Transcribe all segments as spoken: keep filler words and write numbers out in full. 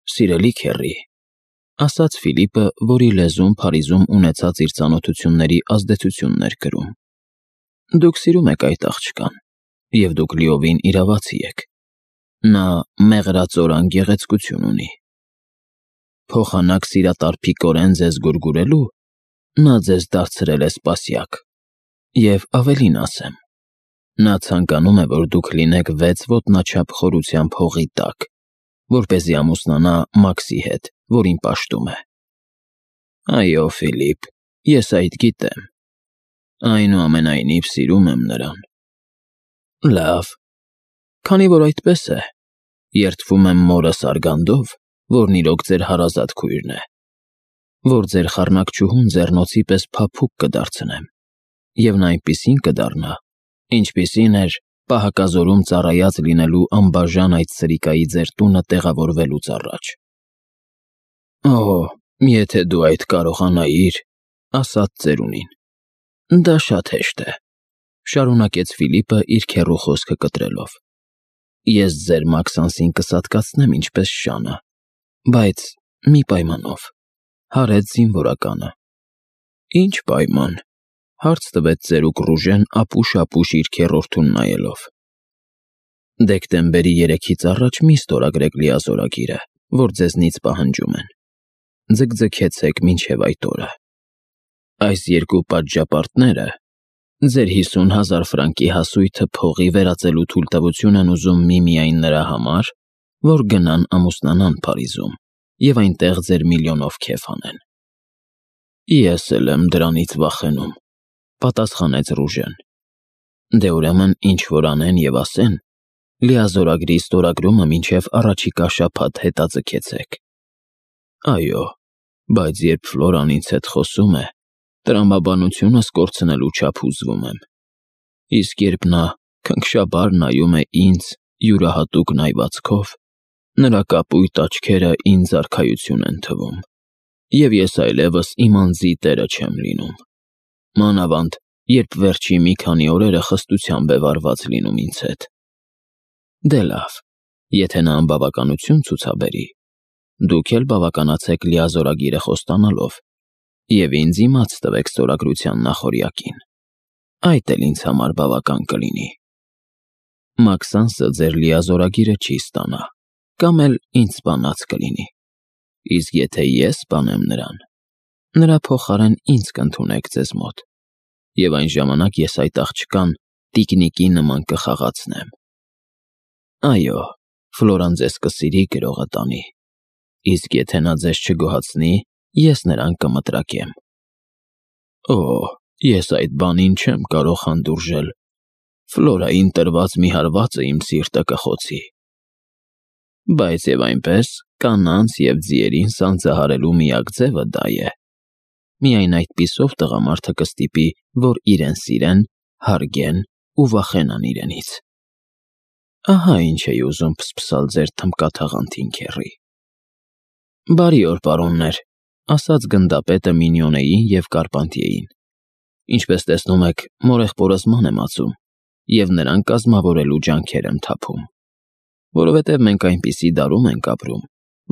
Սիրելի քեռի, ասաց Ֆիլիպը, որի լեզուն Փարիզում ունեցած իր ծանոթությունների ազդեցությունն էր կրում. դուք սիրում եք այդ աղջկան, և դուք լիովին իրավացի եք. նա մեղրածորան գեղեցկություն ունի։ Փոխանակ սիրատարփիկորեն ձեզ գուրգուրելու, նա ձեզ դարձրել է սպասյակ, և ավելին ասեմ, նա ցանկանում է, որ դուք լինեք վեց ոտնաչափ խորությամբ հողի տակ, որպեսզի ամուսնանա Մաքսի հետ, որին պաշտում է։ Այո, Ֆիլիպ, ես այդ գիտեմ, այնուամենայնիվ սիրում եմ նրան։ Լավ, քանի որ այդպես է, երդվում եմ մորս Արգանդով, որն իրոք ձեր հարազատ քույրն է, որ ձեր խառնակչուհուն ձեռնոցի պես փափուկ կդարձնեմ, և նա այնպիսին կդառնա, ինչպիսին էր պահակազորում ծառայած լինելու անբաժան այդ սրիկայի ձեր տունը տեղավորվելուց առաջ։ Օ, եթե դու այդ կարողանայիր, ասաց ծերունին։ Դա շատ հեշտ է, շարունակեց Ֆիլիպը իր քեռու խոսքը կտրելով։ Ես ձեր Մաքսանսին կսատկացնեմ ինչպես շանը, բայց մի պայմանով, հարեց զինվորականը։ Ինչ պայման, հարց տվեց ծերուկ Ռուժեն ապուշ-ապուշ իր քեռորդուն նայելով։ Դեկտեմբերի երեքից առաջ մի ստորագրեք լիազորագիրը, որ ձեզնից պահանջում են։ Ձգձգեցեք մինչև այդ օրը։ Այս երկու պատժապարտները ձեր հիսուն հազար ֆրանկի հասույթը փողի վերածելու թույլտվություն են ուզում միմիայն նրա համար, որ գնան ամուսնանան Փարիզում և այնտեղ ձեր միլիոնով քեֆ անեն։ Ես էլ եմ դրանից վախենում, պատասխանեց Ռուժեն։ Դե ուրեմն ինչ որ անեն և ասեն, լիազորագրի ստորագրումը մինչև առաջիկա շաբաթ հետաձգեցեք։ Այո, բայց երբ Ֆլորան ինձ հետ խոսում է, տրամաբանությունս կորցնելու չափ հուզվում եմ, իսկ երբ նա քնքշաբար նայում է ինձ յուրահատուկ նայվածքով, նրա կապույտ աչքերը ինձ արքայություն են թվում, և ես այլևս իմ անձի տերը չեմ լինում, մանավանդ, երբ վերջի մի քանի օրերը խստությամբ է վարված լինում ինձ հետ։ Դե լավ, եթե նա անբավականություն ցուցաբերի, դուք էլ բավականացեք լիազորագիրը խոստանալով և ինձ իմաց տվեք ստորագրության նախօրյակին, այդ էլ ինձ համար բավական կլինի։ Մաքսանսը ձեր լիազորագիրը չի ստանա, կամ էլ ինձ սպանած կլինի, իսկ եթե ես սպանեմ նրան, նրա փոխարեն ինձ կընդունեք ձեզ մոտ, և այն ժամանակ ես այդ աղջկան տիկնիկի նման կխաղացնեմ։ Այո, Ֆլորան ձեզ կսիրի գրողը տանի, իսկ եթե նա ձեզ չգոհացնի, ես նրան կմտրակեմ։ Օ, ես այդ բանին չեմ կարող հանդուրժել, Ֆլորային տրված մի հարվածը իմ սիրտը կխոցի։ Բայց և այնպես, կանանց և ձիերին սանձահարելու միակ ձևը դա է։ Միայն այդպիսով տղամարդը կստիպի, որ իրեն սիրեն, հարգեն ու վախենան իրենից։ Ահա ինչ էի ուզում փսփսալ ձեր թմկաթաղանթին, քեռի։ Բարի օր, պարոններ, ասաց գնդապետը Մինյոնեին և Կարպանտիեին։ Ինչպես տեսնում եք, մորեղբորս ման եմ ածում, և նրան կազմավորելու ջանքեր եմ թափում, որովհետև մենք այնպիսի դարում ենք ապրում,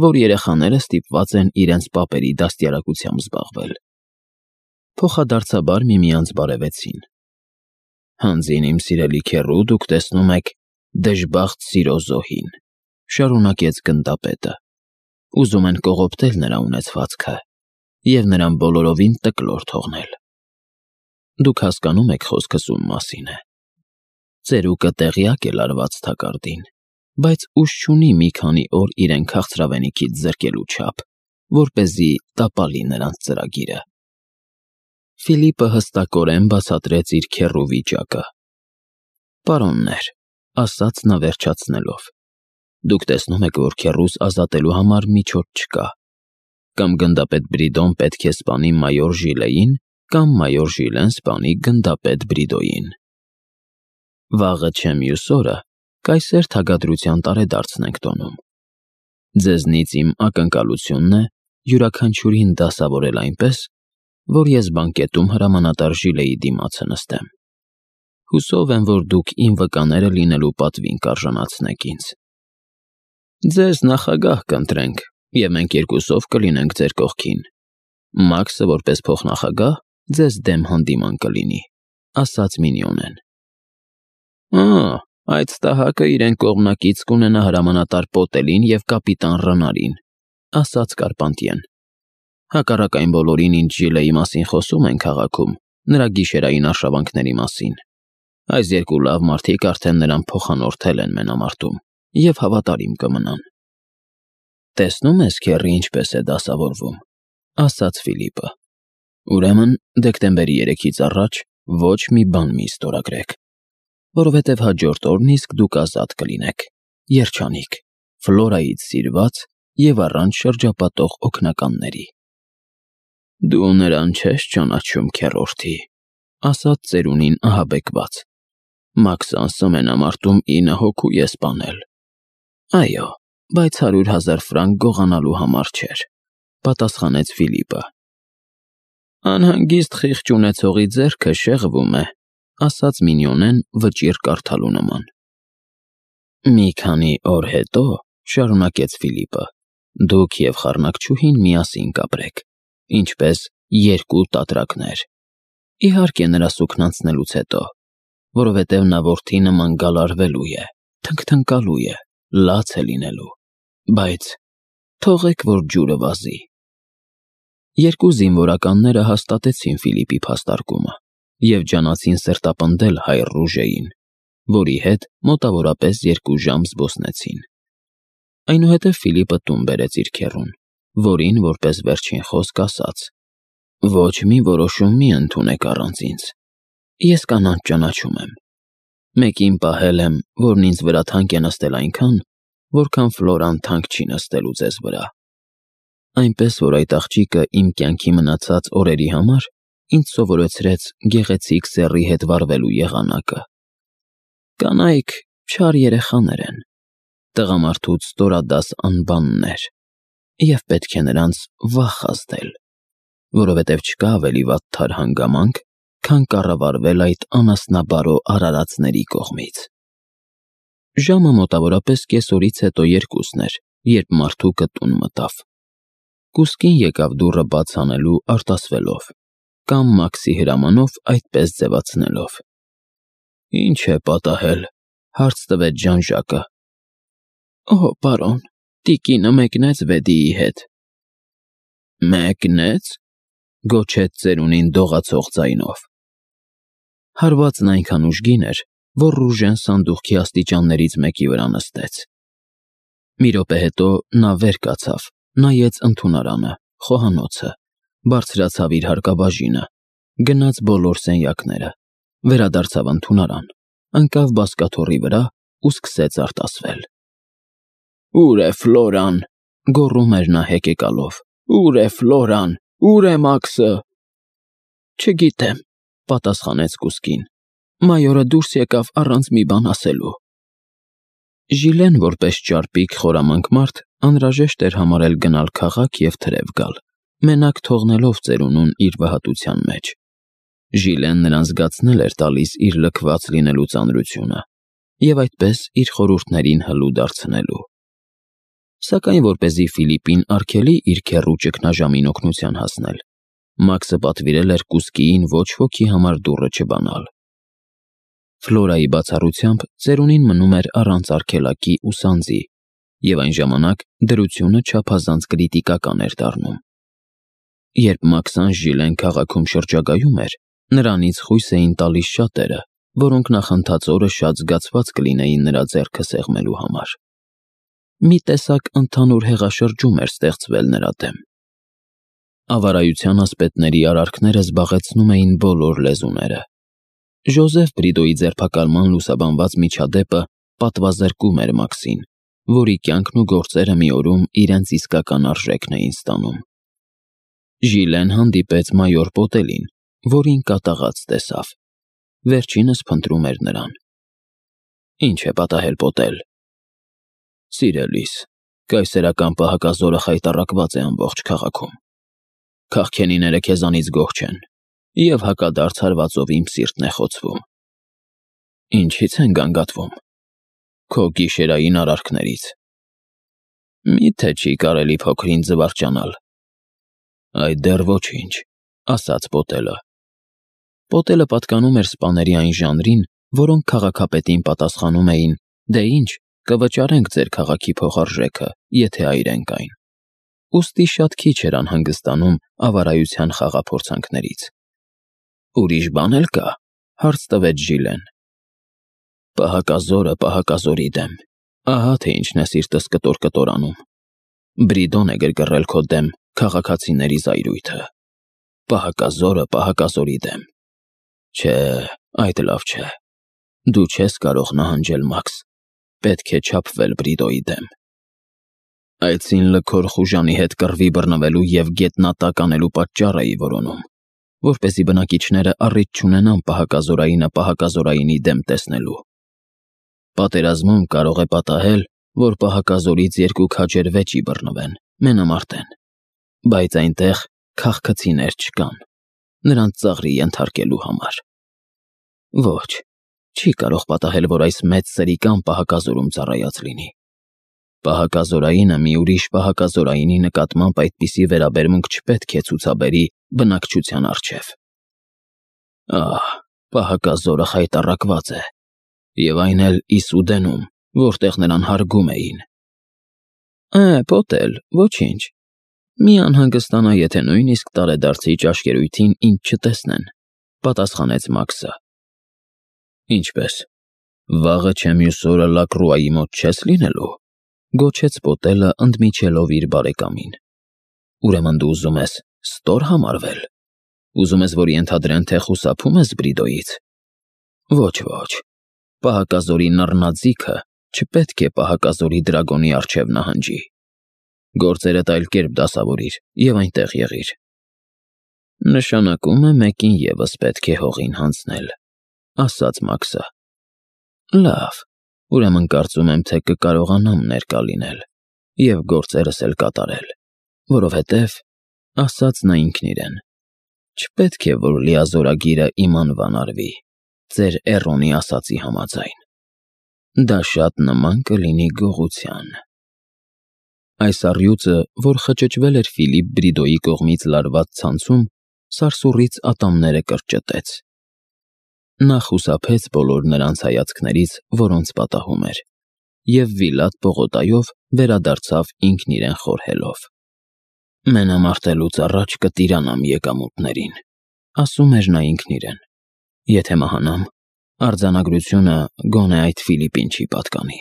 որ երեխաները ստիպված են իրենց պապերի դաստիարակությամբ զբաղվել։ Փոխադարձաբար միմյանց բարևեցին։ Հանձին իմ սիրելի քեռու, դուք տեսնում եք դժբախտ սիրո զոհին, շարունակեց գնդապետը։ Ուզում են կողոպտել նրա ունեցվածքը և նրան բոլորովին տկլոր թողնել։ Դուք հասկանում եք խոսքս ում մասին է։ Ծերուկը տեղյակ է լարված թակարդին, բայց ուժ չունի մի քանի օր իրեն քաղցրավենիքից զրկելու չափ, որպեսզի տապալի նրանց ծրագիրը։ Ֆիլիպը հստակորեն բացատրեց իր քեռու վիճակը։ Պարոններ, ասաց նա վերջացնելով, դուք տեսնում եք, որ քեռուս ազատելու համար միջոց չկա։ Կամ գնդապետ Բրիդոն պետք է սպանի մայոր Ժիլեին, կամ մայոր Ժիլեն սպանի գնդապետ Բրիդոյին։ Վաղը չէ մյուս օրը կայսեր թագադրության տարեդարձն ենք տոնում։ Ձեզնից իմ ակնկալությունն է յուրաքանչյուրին դասավորել այնպես, որ ես բանկետում հրամանատար Ժիլեի դիմացը նստեմ։ Հուսով եմ, որ դուք իմ վկաները լինելու պատվին կարժանացնեք ինձ։ Ձեզ նախագահ կընտրենք, և մենք երկուսով կլինենք ձեր կողքին։ Մաքսը որպես փոխնախագահ ձեզ դեմ հանդիման կլինի, ասաց Մինյոնեն։ Ա, այդ ստահակը իրեն կողմնակից կունենա հրամանատար Պոտելին և կապիտան Ռնարին, ասաց Կարպանտիեն։ Հակառակ այն բոլորին, ինչ Ժիլեի մասին խոսում են քաղաքում, նրա գիշերային արշավանքների մասին։ Այս երկու լավ մարդիկ արդեն նրան փոխանորդել են մենամարտում և հավատարիմ կմնան։ Տեսնում ես, քեռի, ինչպես է դասավորվում, ասաց Ֆիլիպը։ Ուրեմն, դեկտեմբերի երեքից առաջ ոչ մի բան մի ստորագրեք, որովհետև հաջորդ օրն իսկ դուք ազատ կլինեք, երջանիկ, Ֆլորայից սիրված և առանց շրջապատող օգնականների։ Դու նրան չես ճանաչում, քեռորդի, ասաց ծերունին ահաբեկված։ Մաքսը անսահմանամարտում ինը հոգու է սպանել։ Այո, բայց հարյուր հազար ֆրանկ գողանալու համար չէր, պատասխանեց Ֆիլիպը։ Անհանգիստ խիղճ ունեցողի ձեռքը շեղվում է, ասաց Մինյոնեն վճիռ կարդալու նման։ Մի քանի օր հետո, շարունակեց Ֆիլիպը, դուք և խառնակչուհին միասին կապրեք, ինչպես երկու տատրակներ։ Իհարկե նրա սուքն անցնելուց հետո, որովհետև նա որդի նման գալարվելու է, թնգթնկալու է, լաց է լինելու, բայց թողեք, որ ջուրը վազի։ Երկու զինվորականները հաստատեցին Ֆիլիպի փաստարկումը և ջանացին սրտապնդել հայր Ռուժեին, որի հետ մոտավորապես երկու ժամ զբոսնեցին։ Այնուհետև Ֆիլիպը տուն բերեց իր քեռուն, որին որպես վերջին խոսք ասաց. Ոչ մի որոշում մի ընդունեք առանց ինձ։ Ես կանանց ճանաչում եմ։ Մեկին պահել եմ, որն ինձ վրա թանկ է նստել այնքան, որքան Ֆլորան թանկ չի նստելու ձեզ վրա։ Այնպես որ այդ աղջիկը իմ կյանքի մնացած օրերի համար ինձ սովորեցրեց գեղեցիկ սեռի հետ վարվելու եղանակը։ Կանայք չար երեխաներ են, տղամարդուց ստորադաս անբաններ, և պետք է նրանց վախ ազդել, որովհետև չկա ավելի վատ թար հանգամանք, քան կառավարվել այդ անասնաբարո արարածների կողմից։ Ժամը մոտավորապես կեսօրից հետո երկուսն էր, երբ մարդուկը տուն մտավ։ Կուսկին եկավ դուռը բաց անելու արտասվելով, կամ Մաքսի հրամանով այդպես ձևացնելով։ Ինչ է պատահել, հարց տվեց Ժան֊Ժակը։ Օհ, պարոն, տիկինը մեկնեց Վեդիի հետ։ Մեկնեց, գոչեց ծերունին դողացող ձայնով։ Հարվածն այնքան ուժգին էր, որ Ռուժեն սանդուղքի աստիճաններից մեկի վրա նստեց։ Մի րոպե հետո նա վեր կացավ, նայեց ընդունարանը, խոհանոցը, բարձրացավ իր հարկաբաժինը, գնաց բոլոր սենյակները, վերադարձավ ընդունարան, ընկավ բազկաթոռի վրա ու սկսեց արտասվել։ Ո՞ւր է Ֆլորան, գոռում էր նա հեկեկալով։ Ո՞ւր է Ֆլորան, ո՞ւր է Մաքսը։ Չգիտեմ, պատասխանեց կուսկին։ Մայորը դուրս եկավ առանց մի բան ասելու։ Ժիլեն որպես ճարպիկ խորամանկ մարդ անհրաժեշտ էր համարել գնալ քաղաք և թրև գալ, մենակ թողնելով ծերունուն իր վհատության մեջ։ Ժիլեն նրան զգացնել էր տալիս իր լքված լինելու ծանրությունը և այդպես իր խորհուրդներին հլու դարձնելու։ Սակայն որպեսզի Ֆիլիպին արգելի իր քեռու ճգնաժամին օգնության հասնել, Մաքսը պատվիրել էր կուսկիին ոչ ոքի համար դուռը չբանալ։ Ֆլորայի բացառությամբ ծերունին մնում էր առանց արգելակի ու սանձի, և այն ժամանակ դրությունը չափազանց կրիտիկական էր դառնում։ Երբ Մաքսան Ժիլեն քաղաքում շրջագայում էր, նրանից խույս էին տալիս շատերը, որոնք նախընթաց օրը շատ զգացված կլինեին նրա ձեռքը սեղմելու համար։ Մի տեսակ ընդհանուր հեղաշրջում էր ստեղծվել նրա դեմ։ Ավարայության ասպետների արարքները զբաղեցնում էին բոլոր լեզուները։ Ժոզեֆ Բրիդոյի ձերբակալման լուսաբանված միջադեպը պատվազրկում էր Մաքսին, որի կյանքն ու գործերը մի օրում իրենց իսկական արժեքն էին ստանում։ Ժիլեն հանդիպեց մայոր Պոտելին, որին կատաղած տեսավ։ Վերջինս փնտրում էր նրան։ Ինչ է պատահել, Պոտել։ Սիրելիս, կայսերական պահակազորը խայտառակված է ամբողջ քաղաքում։ Քաղքենիները քեզանից գոհ չեն, և հակադարձ հարվածով իմ սիրտն է խոցվում։ Ինչի՞ց են գանգատվում։ Քո գիշերային արարքներից։ Մի՞թե չի կարելի փոքրին զվարճանալ։ Այդ դեռ ոչինչ, ասաց Պոտելը։ Պոտելը պատկանում էր սպաների այն ժանրին, որոնք քաղաքապետին պատասխանում էին. «Դե ինչ, կվճարենք ձեր քաղաքի փոխարժեքը, եթե այրենք այն»։ Ուստի շատ քիչ էր անհանգստանում ավարայության խաղափորձանքներից։ «Ուրիշ բան էլ կա», հարց տվեց Ժիլեն։ Պահակազորը պահակազորի դեմ, ահա թե ինչն է սիրտս կտոր-կտորանում։ Բրիդոն է գրգռել քո դեմ քաղաքացիների զայրույթը։ Պահակազորը պահակազորի դեմ։ Չէ, այդ լավ չէ։ Դու չես կարող նահանջել, Մաքս, պետք է չափվել Բրիդոյի դեմ։ Այցին լքոր խուժանի հետ կռվի բռնվելու և գետնատակ անելու պատճառ էի որոնում, որպեսզի բնակիչները առիթ չունենան պահակազորայինը պահակազորայինի դեմ տեսնելու։ Պատերազմում կարող է պատահել, որ պահակազորից երկու քաջեր վեճի բռնվեն, մենամարտեն, բայց այնտեղ քաղքցիներ չկան, նրանց ծաղրի ենթարկելու համար։ Ոչ, չի կարող պատահել, որ այս մեծ սրիկան պահակազորում ծառայած լինի։ Պահակազորայինը մի ուրիշ պահակազորայինի նկատմամբ այդպիսի վերաբերմունք չպետք է ցուցաբերի բնակչության առջև։ Ահ, պահակազորը խայտառակված է, և այն էլ Իսուդենում, որտեղ նրան հարգում էին։ Է, Պոտել, ոչինչ, մի անհանգստանա, եթե նույնիսկ տարեդարձի ճաշկերույթին ինձ չտեսնեն, պատասխանեց Մաքսը։ Ինչպես, վաղը չէ մյուս օրը Լակրուայի մոտ չես լինելու, գոչեց Պոտելը, ընդմիջելով իր բարեկամին։ Ուրեմն դու ուզում ես ստոր համարվել, ուզում ես, որ ենթադրեն, թե խուսափում ես Բրիդոյից։ Ոչ, ոչ, պահակազորի նռնաձիգը չպետք է պահակազորի դրագոնի առջև նահանջի։ Գործերդ այլ կերպ դասավորիր և այնտեղ եղիր։ Նշանակում է մեկին ևս պետք է հողին հանձնել, ասաց Մաքսը։ Լավ, ուրեմն կարծում եմ, թե կկարողանամ ներկա լինել և գործերս էլ կատարել, որովհետև, ասաց նա ինքն իրեն, չպետք է, որ լիազորագիրը իմ անվան արվի, ձեր Էռոնի ասածի համաձայն։ Դա շատ նման կլինի գողության։ Այս առյուծը, որ խճճվել էր Ֆիլիպ Բրիդոյի կողմից լարված ցանցում, սարսուռից ատամները կրճտեց։ Նա խուսափեց բոլոր նրանց հայացքներից, որոնց պատահում էր, և Վիլատ պողոտայով վերադարձավ ինքն իրեն խորհելով։ Մենամարտելուց առաջ կտիրանամ եկամուտներին, ասում էր նա ինքն իրեն։ Եթե մահանամ, արձանագրությունը գոնե այդ Ֆիլիպին չի պատկանի։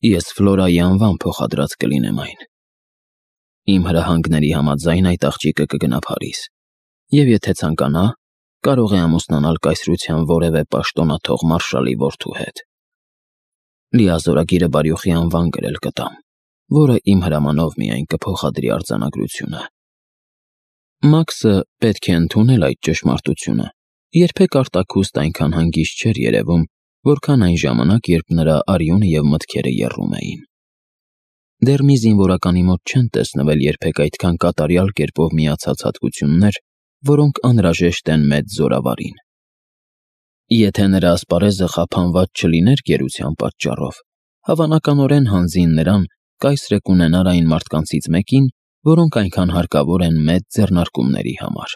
Ես Ֆլորայի անվան փոխադրած կլինեմ այն։ Իմ հրահանգների համաձայն այդ աղջիկը կգնա Փարիզ, և եթե ցանկանա, կարող է ամուսնանալ կայսրության որևէ պաշտոնաթող մարշալի որդու հետ։ Լիազորագիրը բարյոխի անվան գրել կտամ, որը իմ հրամանով միայն կփոխադրի արձանագրությունը։ Մաքսը պետք է ընդունել այդ ճշմարտությունը, երբեք արտաքուստ այնքան հանգիստ չէր երևում, որքան այն ժամանակ, երբ նրա արյունը և մտքերը եռում էին։ Դեռ մի զինվորականի մոտ չեն տեսնվել երբեք այդքան կատարյալ կերպով միացած հատկություններ, որոնք անհրաժեշտ են մեծ զորավարին։ Եթե նրա ասպարեզը խափանված չլիներ գերության պատճառով, հավանականորեն հանձին նրան կայսրը կունենար այն մարդկանցից մեկին, որոնք այնքան հարկավոր են մեծ ձեռնարկումների համար։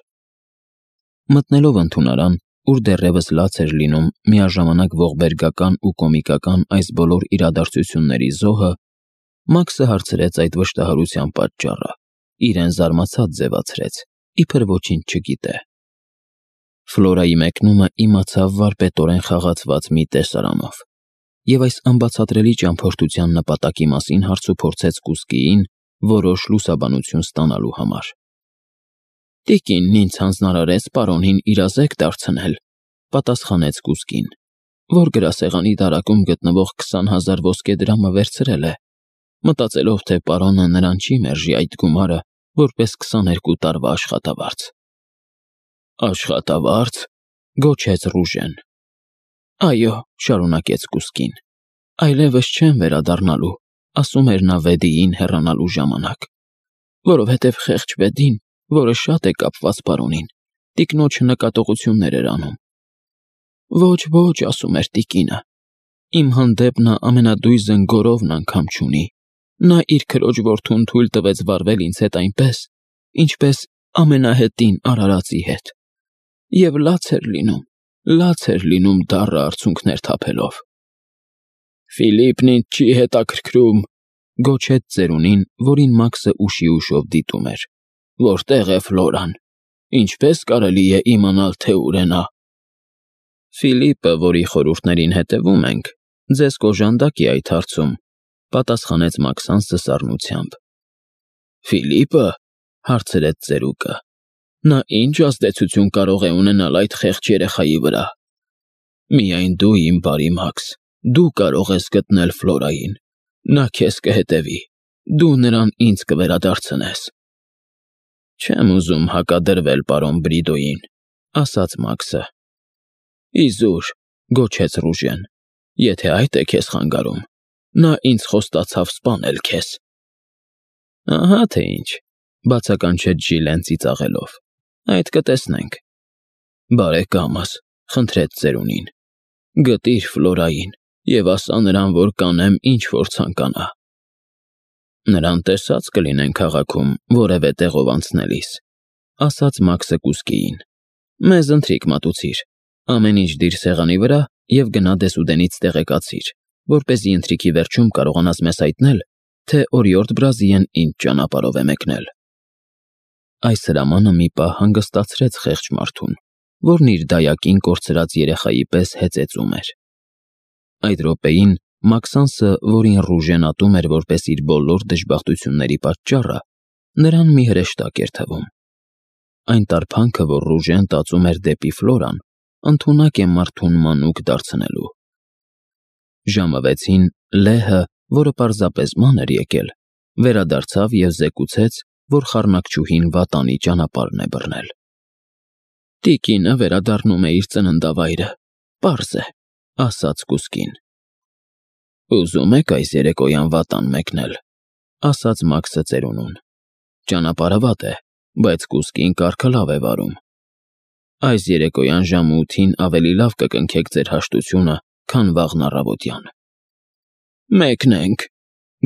Մտնելով ընդունարան, ուր դեռևս լաց էր լինում միաժամանակ ողբերգական ու կոմիկական այս բոլոր իրադարձությունների զոհը, Մաքսը հարցրեց այդ վշտահարության պատճառը, իրեն զարմացած ձևացրեց, իբր ոչինչ չգիտե։ Ֆլորայի մեկնումը իմացավ վարպետորեն խաղացված մի տեսարանով, և այս անբացատրելի ճամփորդության նպատակի մասին հարց ու փորձեց Կուսկիին որոշ լուսաբանություն ստանալու համար։ Տիկինն ինձ հանձնարարեց պարոնին իրազեկ դարձնել, պատասխանեց Կուսկին, որ գրասեղանի դարակում գտնվող քսան հազար ոսկե դրամը վերցրել է, մտածելով, թե պարոնը նրան չի մերժի այդ գումարը որպես քսաներկու տարվա աշխատավարձ։ Աշխատավարձ, գոչեց Ռուժեն։ Այո, շարունակեց Կուսկին, այլևս չեմ վերադառնալու, ասում էր նա Վեդիին հեռանալու ժամանակ, որովհետև խեղճ Վեդին, որը շատ է կապված պարոնին, տիկնոջը նկատողություններ էր անում։ Ոչ, ոչ, ասում էր տիկինը, իմ հանդեպ նա ամենադույզն գորովն անգամ չունի, նա իր քրոջ որդուն թույլ տվեց վարվել ինձ հետ այնպես, ինչպես ամենահետին արարածի հետ, և լաց էր լինում, լաց էր լինում դառը արցունքներ թափելով։ «Ֆիլիպն ինձ չի հետաքրքրում», գոչեց ծերունին, որին Մաքսը ուշի ուշով դիտում էր։ «Որտե՞ղ է Ֆլորան, ինչպե՞ս կարելի է իմանալ, թե ուր է նա»։ «Ֆիլիպը, որի խորհուրդներին հետևում ենք, ձեզ կօժանդակի այդ հարցում», պատասխանեց Մաքսանսը սառնությամբ։ «Ֆիլիպը», հարցրեց ծերուկը, «նա ի՞նչ ազդեցություն կարող է ունենալ այդ խեղճ երեխայի վրա»։ «Միայն դու, իմ բարի Մաքս, դու կարող ես գտնել Ֆլորային, նա քեզ կհետևի, դու նրան ինձ կվերադարձնես»։ «Չեմ ուզում հակադրվել պարոն Բրիդոյին», ասաց Մաքսը։ «Իզուր», գոչեց Ռուժեն, «եթե այդ է քեզ խանգարում, նա ինձ խոստացավ սպանել քեզ»։ «Ահա թե ինչ», բացականչեց Ժիլեն ծիծաղելով, «այդ կտեսնենք»։ «Բարեկամս», խնդրեց ծերունին, «գտիր Ֆլորային և ասա նրան, որ կանեմ, ինչ որ ցանկանա»։ «Նրան տեսած կլինեն քաղաքում որևէ տեղով անցնելիս», ասաց Մաքսը կուսկիին։ «Մեզ ընթրիք մատուցիր, ամեն ինչ դիր սեղանի վրա և գնա դեսուդենից տեղեկացիր, որպեսզի ընթրիքի վերջում կարողանաս մեզ հայտնել, թե օրիորդ Բրազիլիան ինչ ճանապարհով է մեկնել»։ Այս հրամանը մի պահ հանգստացրեց խեղճ մարդուն, որն իր դայակին կորցրած երեխայի պես հեծեծում էր։ Այդ րոպեին Մաքսանսը, որին Ռուժեն ատում էր որպես իր բոլոր դժբախտությունների պատճառը, նրան մի հրեշտակ էր թվում։ Այն տարփանքը, որ Ռուժեն տածում էր դեպի Ֆլորան, ընդունակ է մարդուն մանուկ դարձնելու։ Ժամը վեցին Լեհը, որը պարզապես ման էր եկել, վերադարձավ և զեկուցեց, որ խառնակչուհին վատանի ճանապարհն է բռնել։ «Տիկինը վերադառնում է իր ծննդավայրը, պարզ է», ասաց կուսկին։ «Ուզում եք այս երեկոյան վատան մեկնել», ասաց Մաքսը ծերունուն։ «Ճանապարհը վատ է, բայց կուսկին կարգը լավ է վարում։ Այս երեկոյան ժամը ութին ավելի լավ կկնքեք ձեր հաշտությունը, քան վաղն առավոտյան»։ «Մեկնենք»,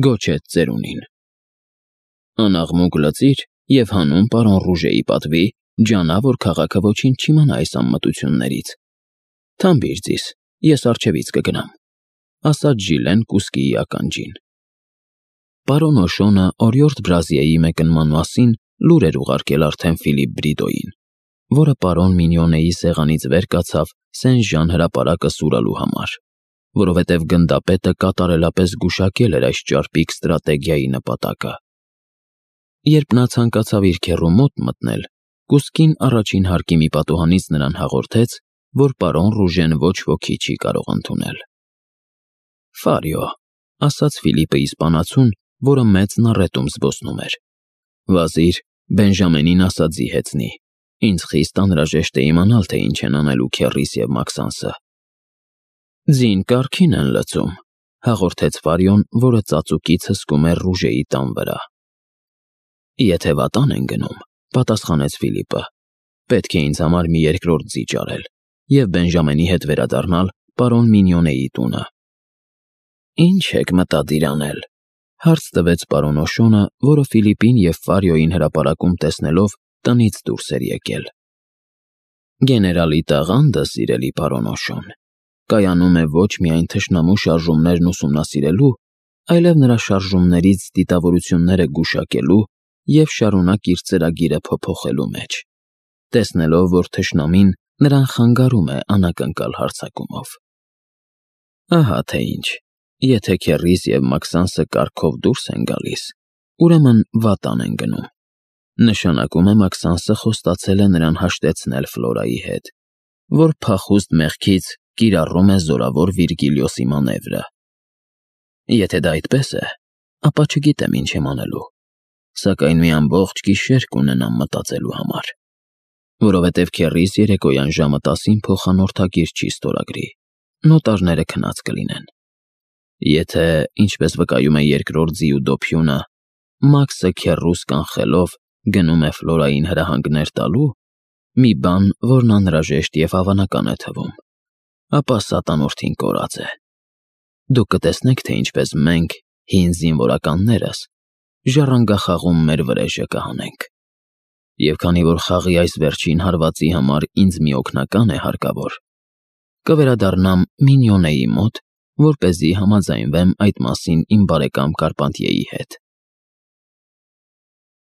գոչեց ծերունին։ «Անաղմուկ լծիր և հանուն պարոն Ռուժեի պատվի ջանա, որ քաղաքը ոչինչ չիմանա այս անմտություններից։ Թամբիր ձիս, ես առջևից կգնամ», ասաց Ժիլեն կուսկիի ականջին։ Պարոն Օշոնը օրիորդ Բրազիլիայի մեկնման մասին լուր էր ուղարկել արդեն Ֆիլիպ Բրիդոյին, որը պարոն Մինյոնեի սեղանից վեր կացավ Սեն-Ժան հրապարակը սուրալու համար, որովհետև գնդապետը կատարելապես գուշակել էր այս ճարպիկ ստրատեգիայի նպատակը։ Երբ նա ցանկացավ իր քեռու մոտ մտնել, կուսկին առաջին հարկի մի պատուհանից նրան հաղորդեց, որ պարոն Ռուժեն ոչ ոքի չի կարող ընդունել։ «Ֆարիո», ասաց Ֆիլիպը իսպանացուն, որը մեծ նառետում զբոսնում էր, «վազիր, Բենժամենին ասա ձիհեցնի, ինձ խիստ անհրաժեշտ է իմանալ, թե ինչ են անելու քեռիս և Մաքսանսը»։ «Ձին կարգին են լցում», հաղորդեց Ֆարիոն, որը ծածուկից հսկում էր Ռուժեի տան վրա։ «Եթե վատան են գնում», պատասխանեց Ֆիլիպը, «պետք է ինձ համար մի երկրորդ ձի ճարել և Բենժամենի հետ վերադառնալ պարոն Մինյոնեի տունը»։ «Ինչ եք մտադիր անել», հարց տվեց պարոն Օշոնը, որը Ֆիլիպին և Ֆարիոյին հրապարակում տեսնելով տնից դուրս էր եկել։ «Գեներալի տաղանդը, սիրելի պարոն Օշոն, կայանում է ոչ միայն թշնամու շարժումներն ուսումնասիրելու, այլև նրա շարժումներից դիտավորությունները գուշակելու և շարունակ իր ծրագիրը փոփոխելու մեջ, տեսնելով, որ թշնամին նրան խանգարում է անակնկալ հարձակումով։ Ահա թե ինչ, եթե քեռիս և Մաքսանսը կարգով դուրս են գալիս, ուրեմն վատան են գնում։ Նշանակում է Մաքսանսը խոստացել է նրան հաշտեցնել Ֆլորայի հետ, որ փախուստ մեղքից կիրառում է զորավոր Վիրգիլիոսի մանևրը։ Եթե դա այդպես է, ապա չգիտեմ ինչ եմ անելու, սակայն մի ամբողջ գիշեր կունենամ մտածելու համար, որովհետև քեռիս երեկոյան ժամը տասին փոխանորդագիր չի ստորագրի, նոտարները քնած կլինեն։ Եթե, ինչպես վկայում է երկրորդ ձիու դոփյունը, Մաքսը քեռուս կանխելով գնում է Ֆլորային հրահանգներ տալու, մի բան, որն անհրաժեշտ և հավանական է թվում, ապա սատանորդին կորած է։ Դուք կտեսնեք, թե ինչպես մենք, հին զինվորականներս ժառանգախաղում մեր վրեժը կհանենք։ Եվ քանի որ խաղի այս վերջին հարվածի համար ինձ մի օգնական է հարկավոր, կվերադառնամ Մինյոնեի մոտ, որպեսզի համաձայնվեմ այդ մասին իմ բարեկամ Կարպանտիեի հետ։